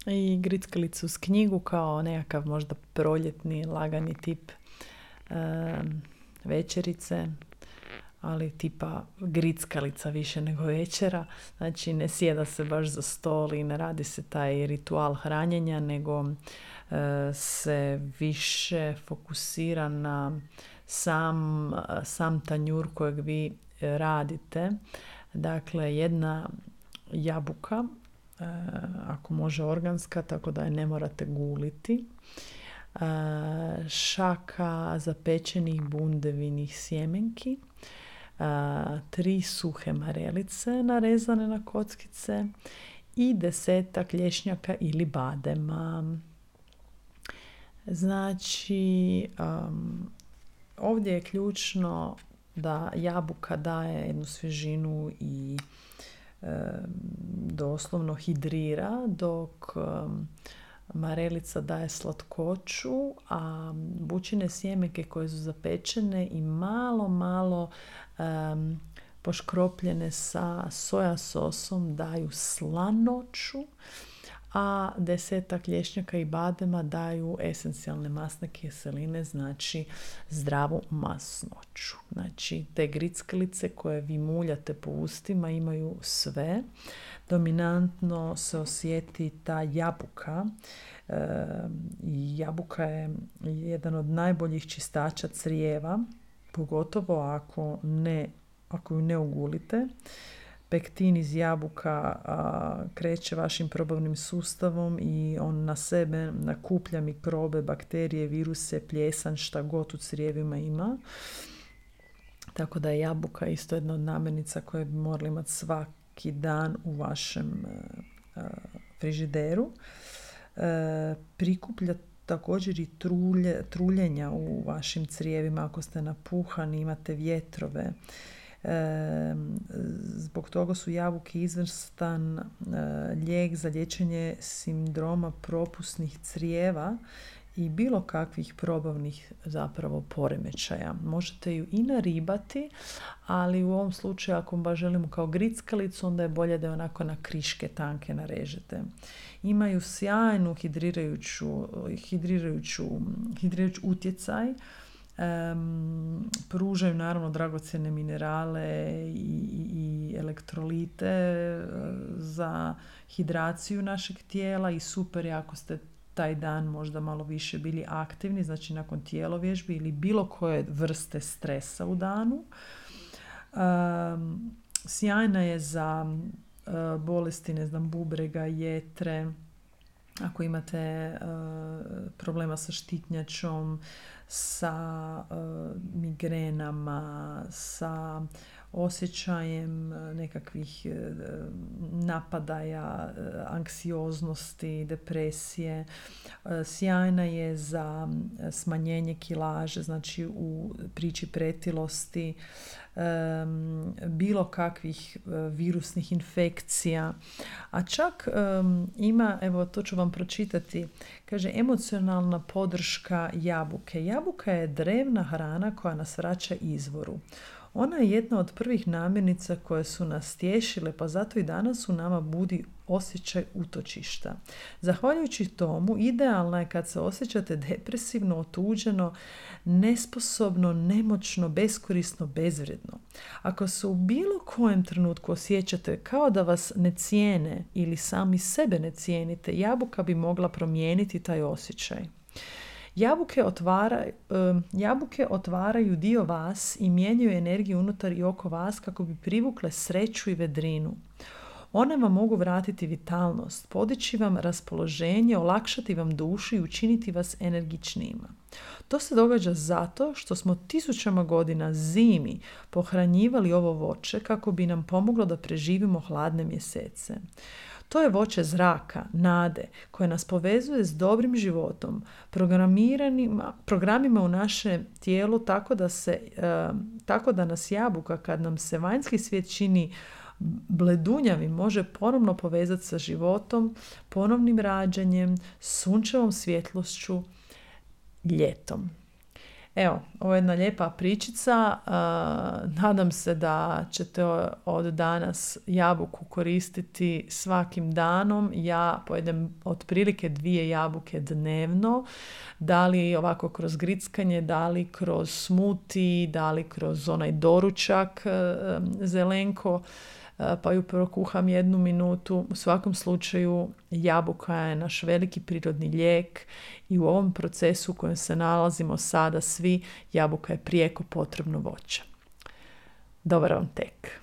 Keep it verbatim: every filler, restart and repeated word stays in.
i grickalicu uz knjigu kao nekakav možda proljetni, lagani tip e, večerice, ali tipa grickalica više nego večera. Znači ne sjeda se baš za stol i ne radi se taj ritual hranjenja, nego e, se više fokusira na sam, sam tanjur kojeg vi radite. Dakle, jedna jabuka, e, ako može organska, tako da je ne morate guliti. E, šaka zapečenih bundevinih sjemenki, e, tri suhe marelice narezane na kockice i desetak lješnjaka ili badema. Znači, um, ovdje je ključno da jabuka daje jednu svježinu i e, doslovno hidrira, dok e, marelica daje slatkoću, a bućine sjemenke koje su zapečene i malo, malo e, poškropljene sa soja sosom daju slanoću, a desetak lješnjaka i badema daju esencijalne masne kiseline, znači zdravu masnoću. Znači, te grickalice koje vi muljate po ustima imaju sve. Dominantno se osjeti ta jabuka. E, jabuka je jedan od najboljih čistača crijeva, pogotovo ako, ne, ako ju ne ugulite. Pektin iz jabuka a, kreće vašim probavnim sustavom i on na sebe nakuplja mikrobe, bakterije, viruse, pljesan, šta god u crijevima ima. Tako da je jabuka isto jedna od namirnica koje bi morali imati svaki dan u vašem a, a, frižideru. E, prikuplja također i trulje, truljenja u vašim crijevima ako ste napuhani, imate vjetrove. E, zbog toga su jabuke izvrstan e, lijek za liječenje sindroma propusnih crijeva i bilo kakvih probavnih zapravo poremećaja. Možete ju i naribati, ali u ovom slučaju ako baš želimo kao grickalicu, onda je bolje da je onako na kriške tanke narežete. Imaju sjajnu hidrirajuću, hidrirajuću, hidrirajuću utjecaj. Um, pružaju naravno dragocjene minerale i, i, i elektrolite za hidraciju našeg tijela i super je ako ste taj dan možda malo više bili aktivni, znači nakon tijelovježbi ili bilo koje vrste stresa u danu. Um, sjajna je za uh, bolesti, ne znam, bubrega, jetre, ako imate uh, problema sa štitnjačom, sa uh, migrenama, sa osjećajem nekakvih uh, napadaja, uh, anksioznosti, depresije. Uh, sjajna je za smanjenje kilaže, znači u priči pretilosti, um, bilo kakvih uh, virusnih infekcija. A čak um, ima, evo to ću vam pročitati, kaže emocionalna podrška jabuke. Jabuka je drevna hrana koja nas vraća izvoru. Ona je jedna od prvih namirnica koje su nas tješile, pa zato i danas u nama budi osjećaj utočišta. Zahvaljujući tomu, idealna je kad se osjećate depresivno, otuđeno, nesposobno, nemoćno, beskorisno, bezvrijedno. Ako se u bilo kojem trenutku osjećate kao da vas ne cijene ili sami sebe ne cijenite, jabuka bi mogla promijeniti taj osjećaj. Jabuke, otvara, jabuke otvaraju dio vas i mijenjaju energiju unutar i oko vas kako bi privukle sreću i vedrinu. One vam mogu vratiti vitalnost, podići vam raspoloženje, olakšati vam dušu i učiniti vas energičnijima. To se događa zato što smo tisućama godina zimi pohranjivali ovo voće kako bi nam pomoglo da preživimo hladne mjesece. To je voće zraka, nade, koje nas povezuje s dobrim životom, programima u naše tijelo tako da, se, e, tako da nas jabuka, kad nam se vanjski svijet čini bledunjavim, može ponovno povezati sa životom, ponovnim rađanjem, sunčevom svjetlošću, ljetom. Evo, ovo je jedna lijepa pričica. Uh, nadam se da ćete od danas jabuku koristiti svakim danom. Ja pojedem otprilike dvije jabuke dnevno. Da li ovako kroz grickanje, da li kroz smuti, da li kroz onaj doručak uh, zelenko, uh, pa ju prokuham jednu minutu. U svakom slučaju jabuka je naš veliki prirodni lijek i u ovom procesu u kojem se nalazimo sada svi, jabuka je prijeko potrebno voće. Dobar vam tek.